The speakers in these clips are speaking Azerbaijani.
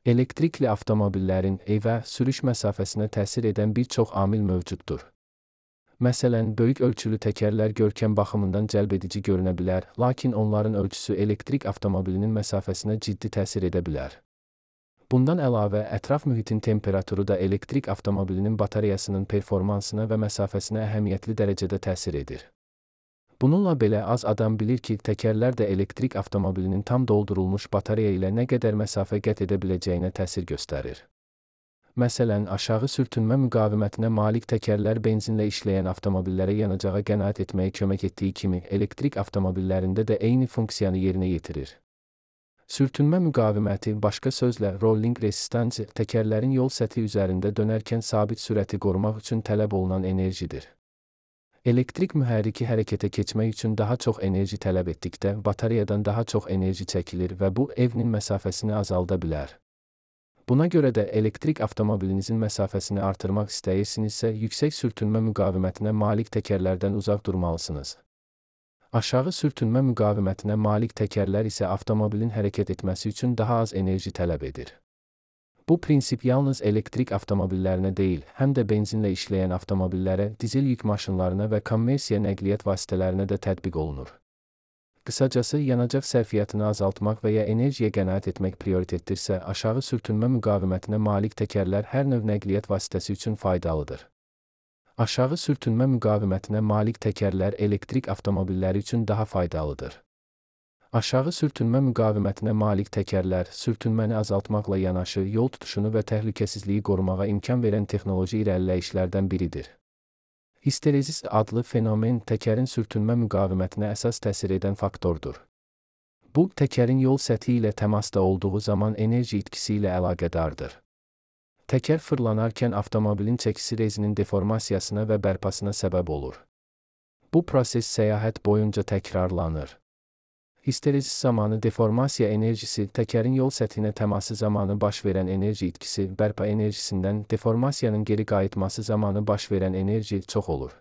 Elektrikli avtomobillərin evə, sürüş məsafəsinə təsir edən bir çox amil mövcuddur. Məsələn, böyük ölçülü təkərlər görkəm baxımından cəlbedici görünə bilər, lakin onların ölçüsü elektrik avtomobilinin məsafəsinə ciddi təsir edə bilər. Bundan əlavə, ətraf mühitin temperaturu da elektrik avtomobilinin batareyasının performansına və məsafəsinə əhəmiyyətli dərəcədə təsir edir. Bununla belə az adam bilir ki, təkərlər də elektrik avtomobilinin tam doldurulmuş batareya ilə nə qədər məsafə qət edə biləcəyinə təsir göstərir. Məsələn, aşağı sürtünmə müqavimətinə malik təkərlər benzinlə işləyən avtomobillərə yanacağa qənaət etməyə kömək etdiyi kimi, elektrik avtomobillərində də eyni funksiyanı yerinə yetirir. Sürtünmə müqaviməti, başqa sözlə, rolling resistance, təkərlərin yol səthi üzərində dönərkən sabit sürəti qorumaq üçün tələb olunan enerjidir. Elektrik mühərriki hərəkətə keçmək üçün daha çox enerji tələb etdikdə, batareyadan daha çox enerji çəkilir və bu, evnin məsafəsini azalda bilər. Buna görə də elektrik avtomobilinizin məsafəsini artırmaq istəyirsinizsə, yüksək sürtünmə müqavimətinə malik təkərlərdən uzaq durmalısınız. Aşağı sürtünmə müqavimətinə malik təkərlər isə avtomobilin hərəkət etməsi üçün daha az enerji tələb edir. Bu prinsip yalnız elektrik avtomobillərinə deyil, həm də benzinlə işləyən avtomobillərə, dizel yük maşınlarına və kommersiya nəqliyyat vasitələrinə də tətbiq olunur. Qısacası, yanacaq sərfiyyatını azaltmaq və ya enerjiyə qənaət etmək prioritetdirsə, aşağı sürtünmə müqavimətinə malik təkərlər hər növ nəqliyyat vasitəsi üçün faydalıdır. Aşağı sürtünmə müqavimətinə malik təkərlər elektrik avtomobilləri üçün daha faydalıdır. Aşağı sürtünmə müqavimətinə malik təkərlər, sürtünməni azaltmaqla yanaşı, yol tutuşunu və təhlükəsizliyi qorumağa imkan verən texnoloji irəliləyişlərdən biridir. Histerezis adlı fenomen təkərin sürtünmə müqavimətinə əsas təsir edən faktordur. Bu, təkərin yol səthi ilə təmasda olduğu zaman enerji itkisi ilə əlaqədardır. Təkər fırlanarkən avtomobilin çəkisi rezinin deformasiyasına və bərpasına səbəb olur. Bu proses səyahət boyunca təkrarlanır. Histerezis zamanı deformasiya enerjisi, təkərin yol səthinə təması zamanı baş verən enerji itkisi, bərpa enerjisindən deformasiyanın geri qayıtması zamanı baş verən enerji çox olur.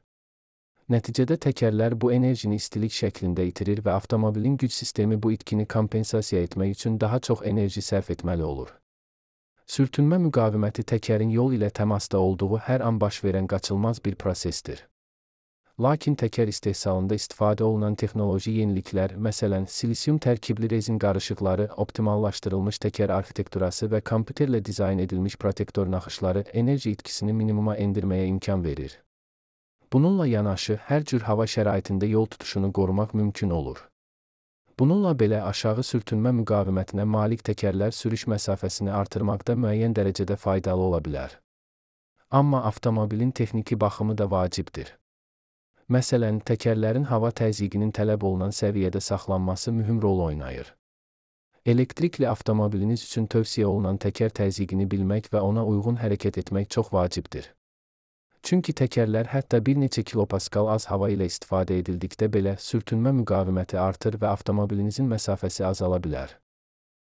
Nəticədə təkərlər bu enerjini istilik şəklində itirir və avtomobilin güc sistemi bu itkini kompensasiya etmək üçün daha çox enerji sərf etməli olur. Sürtünmə müqaviməti təkərin yol ilə təmasda olduğu hər an baş verən qaçılmaz bir prosesdir. Lakin təkər istehsalında istifadə olunan texnoloji yeniliklər, məsələn, silisium tərkibli rezin qarışıqları, optimallaşdırılmış təkər arxitekturası və kompüterlə dizayn edilmiş protektor naxışları enerji itkisini minimuma endirməyə imkan verir. Bununla yanaşı, hər cür hava şəraitində yol tutuşunu qorumaq mümkün olur. Bununla belə aşağı sürtünmə müqavimətinə malik təkərlər sürüş məsafəsini artırmaqda müəyyən dərəcədə faydalı ola bilər. Amma avtomobilin texniki baxımı da vacibdir. Məsələn, təkərlərin hava təzyiqinin tələb olunan səviyyədə saxlanması mühüm rol oynayır. Elektrikli avtomobiliniz üçün tövsiyə olunan təkər təzyiqini bilmək və ona uyğun hərəkət etmək çox vacibdir. Çünki təkərlər hətta bir neçə kilopaskal az hava ilə istifadə edildikdə belə sürtünmə müqaviməti artır və avtomobilinizin məsafəsi azala bilər.